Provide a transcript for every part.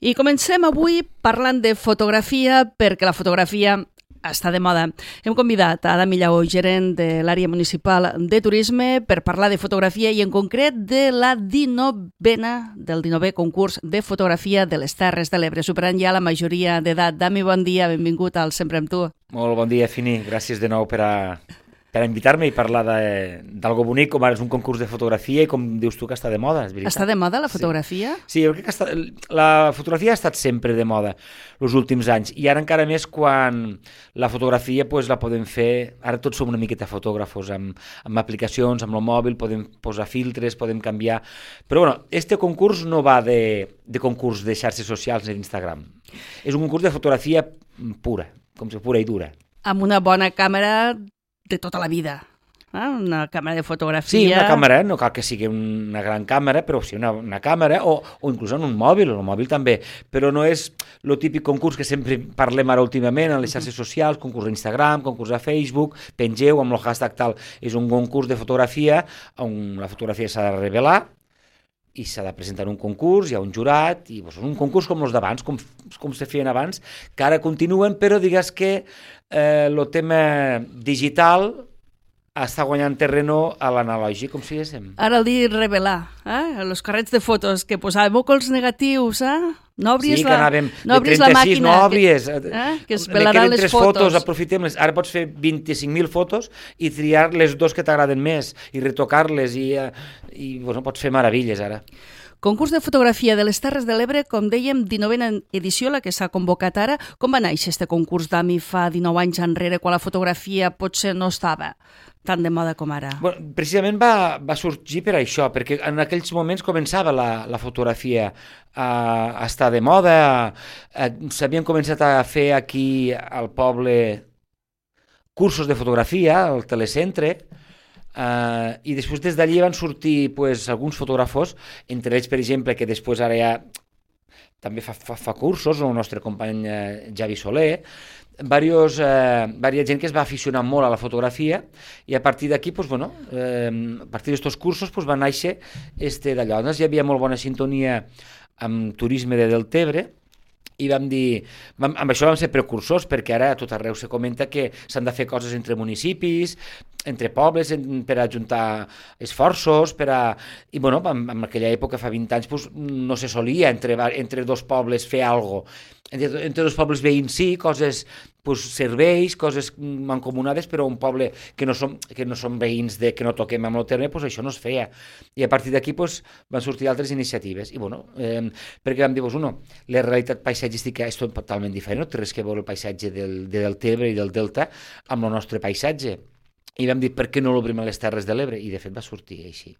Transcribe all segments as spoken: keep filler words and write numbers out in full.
I comencem avui parlant de fotografia, perquè la fotografia està de moda. Hem convidat a Adam Millau, gerent de l'àrea municipal de turisme, per parlar de fotografia i en concret de la dinovena, del dinovè concurs de fotografia de les Terres de l'Ebre, superant ja la majoria d'edat. Dami, bon dia, benvingut al Sempre amb tu. Molt bon dia, Fini. Gràcies de nou per a... per invitar-me i parlar d'algo bonic, com ara és un concurs de fotografia i com dius tu que està de moda, és veritat. Està de moda la fotografia? Sí, sí, jo crec que està, la fotografia ha estat sempre de moda els últims anys i ara encara més quan la fotografia pues, la podem fer, ara tots som una miqueta fotògrafos, amb, amb aplicacions, amb el mòbil, podem posar filtres, podem canviar, però bueno, este concurs no va de, de concurs de xarxes socials ni d'Instagram, és un concurs de fotografia pura, com si pura i dura. Amb una bona càmera de tota la vida, eh? Una càmera de fotografia... Sí, una càmera, no cal que sigui una gran càmera, però sí una, una càmera, o, o inclús en un mòbil, el mòbil també, però no és el típic concurs que sempre parlem ara últimament en les xarxes socials, concurs d'Instagram, concurs a Facebook, pengeu amb el hashtag tal, és un concurs de fotografia on la fotografia s'ha de revelar i s'ha de presentar un concurs, hi ha un jurat, i doncs, un concurs com els d'abans, com, com se feien abans, que ara continuen, però digues que eh, el tema digital està guanyant terreno a l'analògic, com si diguéssim. Ara el dir revelar, eh? Els carrets de fotos que posàvem els negatius, eh? No obries sí, la, que anàvem no de trenta-sis, no obries. Que, eh? que es pelaran les tres fotos. fotos, aprofitem-les. Ara pots fer vint-i-cinc mil fotos i triar les dos que t'agraden més i retocar-les i, i bueno, pots fer meravilles ara. Concurs de fotografia de les Terres de l'Ebre, com dèiem, dinovena edició, la que s'ha convocat ara. Com va néixer este concurs, Dami, fa dinou anys enrere, quan la fotografia potser no estava tan de moda com ara? Bueno, precisament va, va sorgir per això, perquè en aquells moments començava la, la fotografia a, a estar de moda, s'havien començat a fer aquí al poble cursos de fotografia, al telecentre, Uh, i després des d'allí van sortir pues, alguns fotògrafos, entre ells per exemple que després ara ja també fa, fa, fa cursos, el nostre company uh, Javi Soler, varios, uh, varia gent que es va aficionar molt a la fotografia i a partir d'aquí pues, bueno, uh, a partir d'estos cursos pues, va néixer este d'allò. Llavors hi havia molt bona sintonia amb turisme de Deltebre i vam dir, vam, amb això vam ser precursors perquè ara a tot arreu se comenta que s'han de fer coses entre municipis, entre pobles, en, per ajuntar esforços, per a... I bueno, en, en aquella època, fa vint anys, pues, no se solia entre, entre dos pobles fer alguna cosa. Entre, entre dos pobles veïns sí, coses, pues, serveis, coses mancomunades, però un poble que no som, que no som veïns de, que no toquem amb el terme, pues, això no es feia. I a partir d'aquí pues, van sortir altres iniciatives. I bueno, eh, perquè vam dir, pues, uno, la realitat paisatgística és totalment diferent, no té res que veure el paisatge del, de Deltebre i del Delta amb el nostre paisatge. I vam dir, per què no l'obrim a les Terres de l'Ebre? I de fet va sortir així.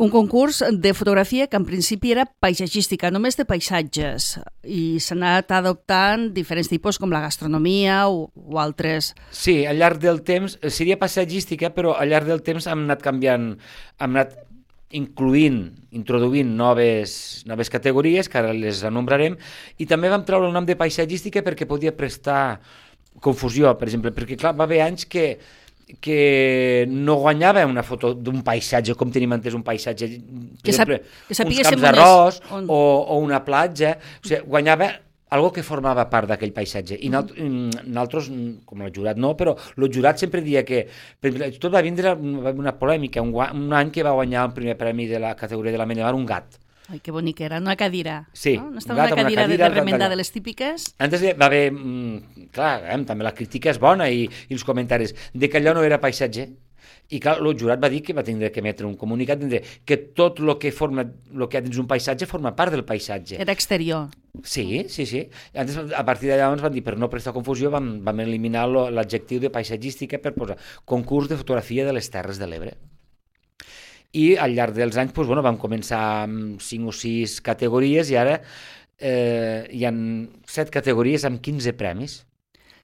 Un concurs de fotografia que en principi era paisatgística, només de paisatges, i s'ha anat adoptant diferents tipus com la gastronomia o, o altres. Sí, al llarg del temps, seria paisatgística, però al llarg del temps hem anat canviant, hem anat incluint, introduint noves, noves categories, que ara les anombrarem, i també vam treure el nom de paisatgística perquè podia prestar confusió, per exemple, perquè clar, va haver anys que que no guanyava una foto d'un paisatge, com tenim entès un paisatge, per que exemple, que uns camps d'arròs on... o, o una platja, o sigui, guanyava algo que formava part d'aquell paisatge. I mm. nosaltres, com el jurat no, però el jurat sempre dia que, per exemple, tot va vindre una polèmica, un, un any que va guanyar el primer premi de la categoria de la Mena, un gat. Ai, que bonic era, una cadira. Sí, no? No estava una cadira, una cadira de remendar de les típiques? Antes va haver, mm, clar, eh, també la crítica és bona i, i els comentaris, de que allò no era paisatge. I clar, el jurat va dir que va tindre que emetre un comunicat que tot el que forma, el que hi ha dins un paisatge forma part del paisatge. Era exterior. Sí, sí, sí. Antes, a partir d'allà ens van dir, per no prestar confusió, vam, vam eliminar l'adjectiu de paisatgística per posar concurs de fotografia de les Terres de l'Ebre. I al llarg dels anys doncs, bueno, vam començar amb cinc o sis categories i ara eh, hi ha set categories amb quinze premis.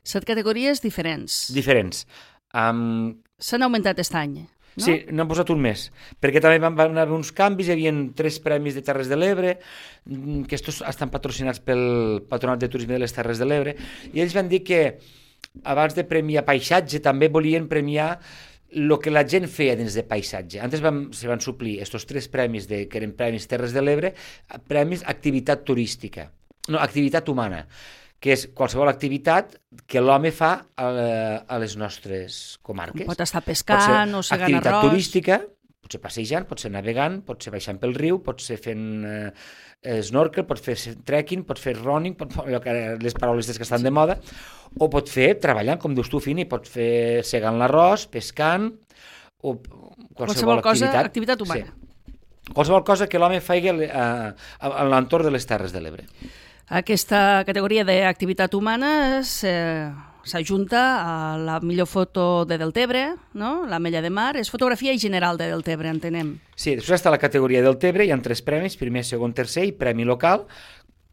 Set categories diferents. Diferents. Um... S'han augmentat aquest any, no? Sí, n'han posat un més, perquè també van, van haver uns canvis, hi havia tres premis de Terres de l'Ebre, que estos estan patrocinats pel Patronat de Turisme de les Terres de l'Ebre, i ells van dir que abans de premiar paisatge també volien premiar el que la gent feia dins de paisatge. Antes vam, se van suplir estos tres premis, de, que eren premis Terres de l'Ebre, premis activitat turística. no, activitat humana, que és qualsevol activitat que l'home fa a, a les nostres comarques. Pot estar pescant o segant arròs. Activitat turística, pot ser passejant, pot ser navegant, pot ser baixant pel riu, pot ser fent eh, snorkel, pot fer trekking, pot fer running, pot fer les paraules que estan de moda, o pot fer treballant, com dius tu, Fini, pot fer segant l'arròs, pescant, o qualsevol, qualsevol cosa, activitat, activitat humana. Sí. Qualsevol cosa que l'home faci a, a, a l'entorn de les Terres de l'Ebre. Aquesta categoria d'activitat humana s'ajunta a la millor foto de Deltebre, no? l'Ametlla de Mar, és fotografia i general de Deltebre, entenem. Sí, després està la categoria Deltebre, hi ha tres premis, primer, segon, tercer, i premi local,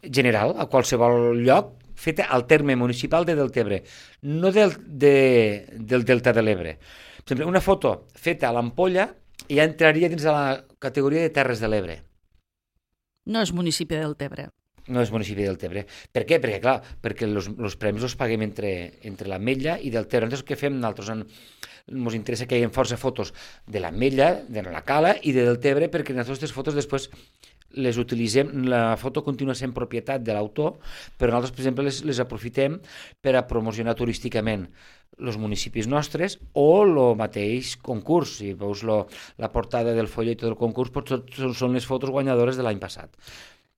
general, a qualsevol lloc, feta al terme municipal de Deltebre, no del, de, del Delta de l'Ebre. Per exemple, una foto feta a l'Ampolla ja entraria dins de la categoria de Terres de l'Ebre. No és municipi de Deltebre. No és municipi de Deltebre. Per què? Perquè, clar, perquè els premis els paguem entre, entre l'Ametlla i Deltebre. Nosaltres què fem? Nosaltres ens interessa que hi hagi força fotos de l'Ametlla, de la Cala i de Deltebre, perquè les nostres fotos després les utilitzem, la foto continua sent propietat de l'autor, però nosaltres, per exemple, les, les aprofitem per a promocionar turísticament els municipis nostres o el mateix concurs. Si veus lo, la portada del follet del concurs, tot són les fotos guanyadores de l'any passat.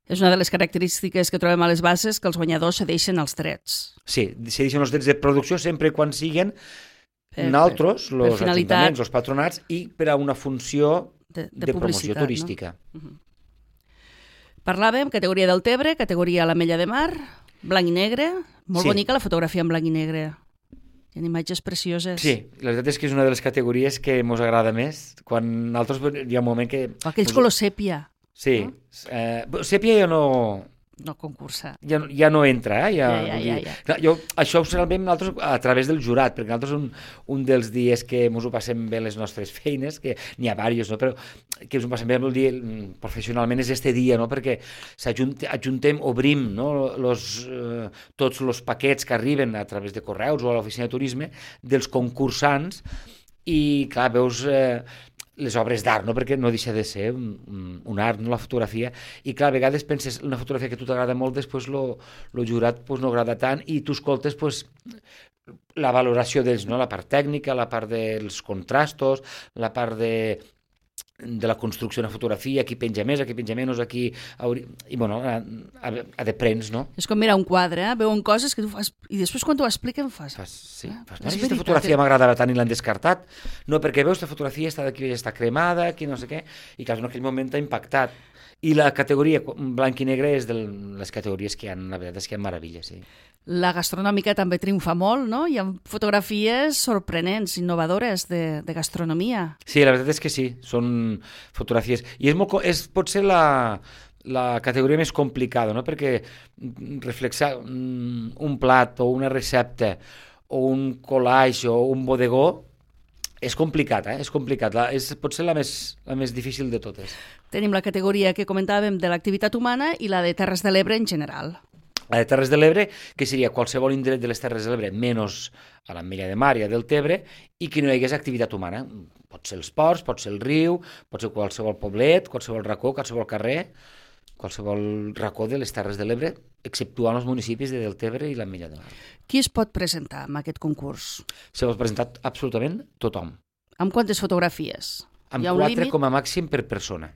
És una de les característiques que trobem a les bases, que els guanyadors cedeixen els drets. Sí, cedeixen els drets de producció sempre quan siguen per, naltros, els ajuntaments, els patronats, i per a una funció de, de, de promoció turística. No? Uh-huh. Parlàvem, categoria Deltebre, categoria l'Ametlla de Mar, blanc i negre, molt sí. bonica la fotografia en blanc i negre. Hi ha imatges precioses. Sí, la veritat és que és una de les categories que ens agrada més. Quan altres hi ha un moment que... Aquells colors sèpia. Sí, no? eh, Sèpia ja no... No concursa. Ja, ja no entra, eh? Ja, ja, ja, ja, ja. Jo, això ho sabem nosaltres a través del jurat, perquè nosaltres un, un dels dies que ens ho passem bé les nostres feines, que n'hi ha diversos, no? Però que ens ho passem bé el dia professionalment és este dia, no? Perquè s'ajuntem, obrim, no? Los, eh, tots els paquets que arriben a través de correus o a l'oficina de turisme dels concursants i, clar, veus... Eh, les obres d'art, no? Perquè no deixa de ser un, un art, no? La fotografia, i clar, a vegades penses una fotografia que a tu t'agrada molt, després lo, lo jurat pues, no agrada tant, i tu escoltes pues, la valoració d'ells, no? La part tècnica, la part dels contrastos, la part de, de la construcció d'una fotografia, aquí penja més, aquí penja menys, aquí... I, bueno, a, a, a de prens, no? És com mirar un quadre, eh? Veuen coses que tu fas... I després quan t'ho expliquen fas... fas sí, fas... No, aquesta fotografia m'agradava tant i l'han descartat. No, perquè veus, aquesta fotografia està d'aquí, està cremada, aquí no sé què, i clar, en aquell moment t'ha impactat. I la categoria blanc i negre és de les categories que hi ha, la veritat és que hi ha meravelles, sí. La gastronòmica també triomfa molt, no? Hi ha fotografies sorprenents, innovadores de, de gastronomia. Sí, la veritat és que sí, són fotografies. I és, molt, és potser la, la categoria més complicada, no? Perquè reflexar un plat o una recepta o un collage o un bodegó és complicat, eh? És complicat. La, és potser la més, la més difícil de totes. Tenim la categoria que comentàvem de l'activitat humana i la de Terres de l'Ebre en general. La de Terres de l'Ebre, que seria qualsevol indret de les Terres de l'Ebre, menys a l'Ametlla de Mar i a Deltebre, i que no hi hagués activitat humana. Pot ser els ports, pot ser el riu, pot ser qualsevol poblet, qualsevol racó, qualsevol carrer, qualsevol racó de les Terres de l'Ebre, exceptuant els municipis de Deltebre i l'Ametlla de Mar. Qui es pot presentar en aquest concurs? Se pot presentar absolutament tothom. Amb quantes fotografies? Amb quatre límit? Com a màxim per persona.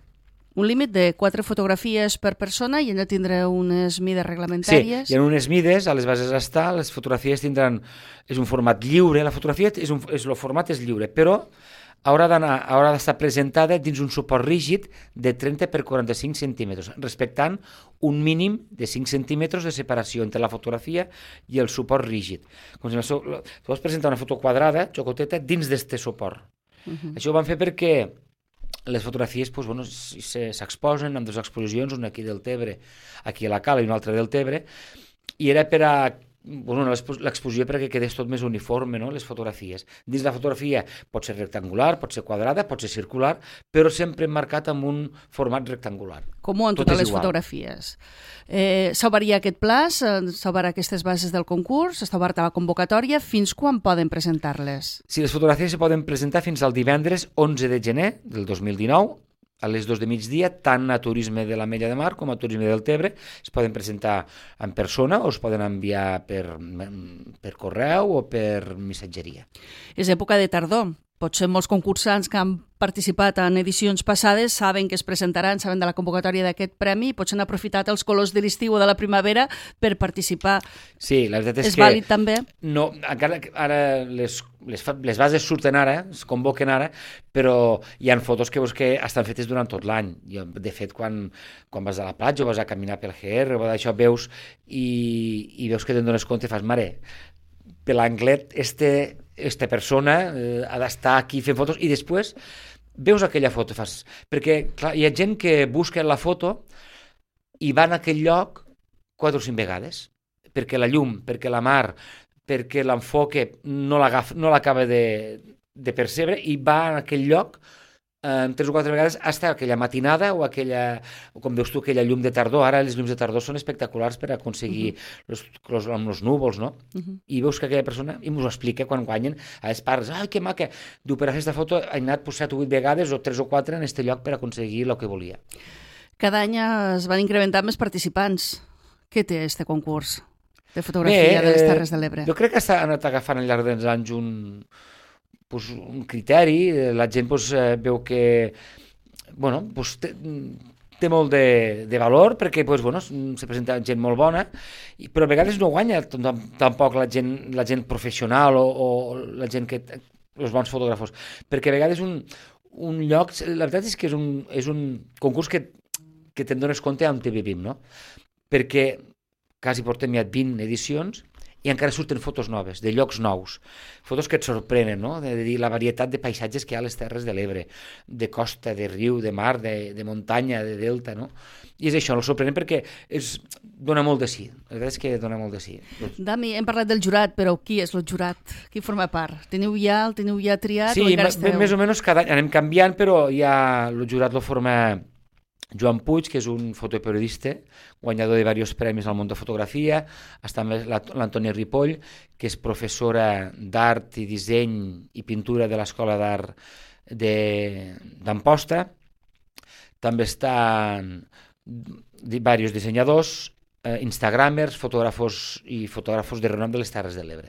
Un límit de quatre fotografies per persona i han de tindre unes mides reglamentàries. Sí, hi ha unes mides, a les bases està, les fotografies tindran... És un format lliure, la fotografia és un, és, el format és lliure, però haurà d'anar, haurà d'estar presentada dins un suport rígid de trenta per quaranta-cinc centímetres, respectant un mínim de cinc centímetres de separació entre la fotografia i el suport rígid. Com si tu vols presentar una foto quadrada, xocoteta, dins d'este suport. Uh-huh. Això ho van fer perquè les fotografies pues, bueno, s'exposen en dues exposicions, una aquí del Tebre, aquí a la Cala i una altra del Tebre, i era per a bueno, l'exposició perquè quedés tot més uniforme, no? Les fotografies. Dins la fotografia pot ser rectangular, pot ser quadrada, pot ser circular, però sempre marcat amb un format rectangular. Com en totes les fotografies. Eh, s'ha obert aquest pla, s'ha obert aquestes bases del concurs, està oberta la convocatòria. Fins quan poden presentar-les? Sí, les fotografies se poden presentar fins al divendres onze de gener del dos mil dinou a les dos de migdia, tant a Turisme de l'Ametlla de Mar com a Turisme del Tebre. Es poden presentar en persona o es poden enviar per, per correu o per missatgeria. És època de tardor. Potser molts concursants que han participat en edicions passades saben que es presentaran, saben de la convocatòria d'aquest premi i potser han aprofitat els colors de l'estiu o de la primavera per participar. Sí, la veritat és, és que... És vàlid també? No, encara ara les, les, les bases surten ara, es convoquen ara, però hi ha fotos que veus que estan fetes durant tot l'any. De fet, quan, quan vas a la platja o vas a caminar pel G R o d'això, veus i, i veus que te'n dones compte i fas, mare, per l'anglet, este... esta persona eh, ha d'estar aquí fent fotos i després veus aquella foto fas, perquè clar, hi ha gent que busca la foto i va a aquell lloc quatre o cinc vegades perquè la llum, perquè la mar, perquè l'enfoque no l'agafa, no l'acaba de, de percebre i va a aquell lloc eh, tres o quatre vegades hasta aquella matinada o aquella, com veus tu, aquella llum de tardor. Ara les llums de tardor són espectaculars per aconseguir uh -huh. los, los, amb els núvols, no? Uh -huh. I veus que aquella persona, i m'ho explica quan guanyen, a les parts, ai, que maca, diu, per a fer aquesta foto he anat pues, set o vuit vegades o tres o quatre en aquest lloc per aconseguir el que volia. Cada any es van incrementar més participants. Què té aquest concurs de fotografia Bé, de les Terres de l'Ebre? Jo crec que s'ha anat agafant al llarg dels anys un... Pues, un criteri, la gent pues, veu que bueno, pues, té, té molt de, de valor perquè pues, bueno, se presenta gent molt bona, però a vegades no guanya tampoc la gent, la gent professional o, o la gent que... els bons fotògrafos, perquè a vegades un, un lloc... La veritat és que és un, és un concurs que, que te'n dones compte on te vivim, no? Perquè quasi portem ja vint edicions i encara surten fotos noves, de llocs nous, fotos que et sorprenen, no? De, de dir la varietat de paisatges que hi ha a les Terres de l'Ebre, de costa, de riu, de mar, de, de muntanya, de delta, no? I és això, el sorprenent perquè és, dona molt de sí, la veritat és que dona molt de sí. Dami, hem parlat del jurat, però qui és el jurat? Qui forma part? Teniu ja, el teniu ja triat? Sí, o encara esteu? més o menys cada any anem canviant, però ja el jurat lo forma Joan Puig, que és un fotoperiodista, guanyador de diversos premis al món de fotografia, està també l'Antònia Ripoll, que és professora d'art i disseny i pintura de l'Escola d'Art d'Amposta. També estan diversos dissenyadors, eh, instagramers, fotògrafos i fotògrafos de renom de les Terres de l'Ebre.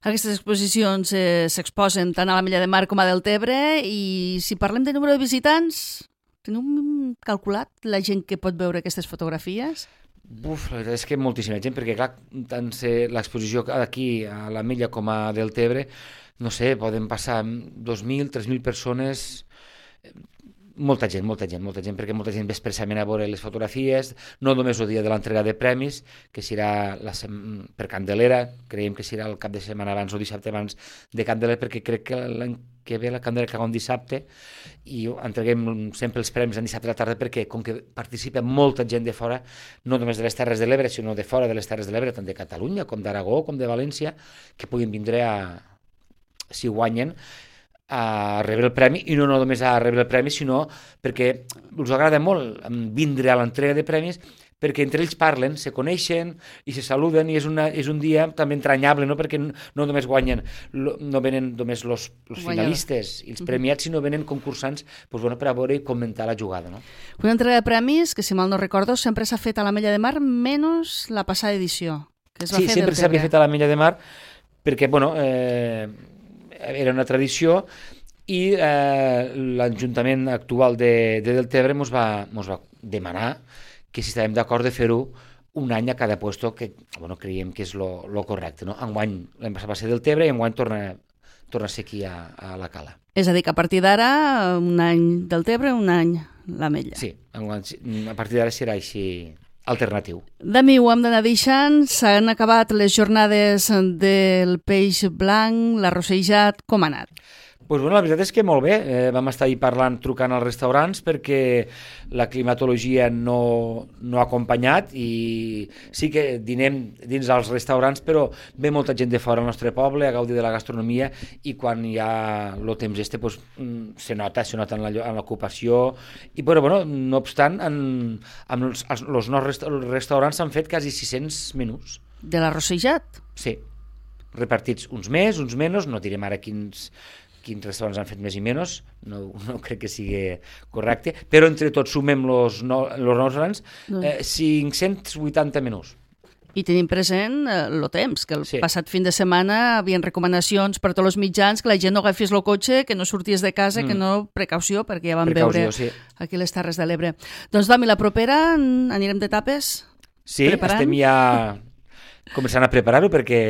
Aquestes exposicions eh, s'exposen tant a l'Ametlla de Mar com a Deltebre i si parlem de número de visitants... Teniu calculat la gent que pot veure aquestes fotografies? Uf, la veritat és que moltíssima gent, perquè clar, tant l'exposició aquí a l'Ametlla com a Deltebre, no sé, poden passar dos mil, tres mil persones, molta gent, molta gent, molta gent, perquè molta gent ve expressament a veure les fotografies, no només el dia de l'entrega de premis, que serà la sem... per Candelera, creiem que serà el cap de setmana abans o dissabte abans de Candelera, perquè crec que l'any que ve la Candelera caga un dissabte i entreguem sempre els premis en dissabte a la tarda perquè com que participa molta gent de fora, no només de les Terres de l'Ebre, sinó de fora de les Terres de l'Ebre, tant de Catalunya com d'Aragó com de València, que puguin vindre a, si guanyen, a rebre el premi, i no només a rebre el premi, sinó perquè els agrada molt vindre a l'entrega de premis, perquè entre ells parlen, se coneixen i se saluden, i és, una, és un dia també entranyable, no? Perquè no només guanyen, no venen només els finalistes i els premiats, sinó venen concursants pues, bueno, per a veure i comentar la jugada. No? Una entrega de premis que, si mal no recordo, sempre s'ha fet a l'Ametlla de Mar, menys la passada edició, que es va sí, fer sempre s'havia fet a l'Ametlla de Mar, perquè, bueno, eh, era una tradició, i eh, l'Ajuntament actual de, de Deltebre ens va, mos va demanar que si estàvem d'acord de fer-ho un any a cada puesto, que bueno, creiem que és lo, lo correcte. No? Enguany l'any passat va ser Deltebre i enguany torna, torna a ser aquí a, a la Cala. És a dir, que a partir d'ara, un any Deltebre, un any l'Ametlla. Sí, enguany, a partir d'ara serà així alternatiu. Dami, ho hem d'anar deixant. S'han acabat les jornades del peix blanc, l'arrossejat. Com ha anat? Pues bueno, la veritat és que molt bé, eh, vam estar ahir parlant, trucant als restaurants perquè la climatologia no, no ha acompanyat i sí que dinem dins els restaurants, però ve molta gent de fora al nostre poble a gaudir de la gastronomia i quan hi ha el temps este pues, se nota, se nota en l'ocupació i però bueno, no obstant en, en els, els nostres restaurants s'han fet quasi sis-cents menús. De l'arrossejat? Sí, repartits uns més, uns menys, no direm ara quins quins restaurants han fet més i menys, no, no crec que sigui correcte, però entre tots sumem els no, los restaurants, eh, cinc-cents vuitanta menús. I tenim present el eh, temps, que el sí. passat fin de setmana hi havia recomanacions per tots els mitjans, que la gent no agafis el cotxe, que no sorties de casa, mm. que no, precaució, perquè ja vam precaució, veure sí. aquí les Terres de l'Ebre. Doncs, Domi, la propera anirem de tapes? Sí, preparant? Estem ja començant a preparar-ho perquè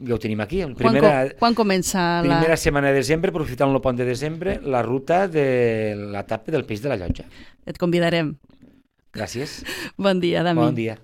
ja ho tenim aquí. Primera, quan, quan comença la... Primera setmana de desembre, aprofitant el pont de desembre, la ruta de la tapa del peix de la Llotja. Et convidarem. Gràcies. Bon dia, Dami. Bon dia.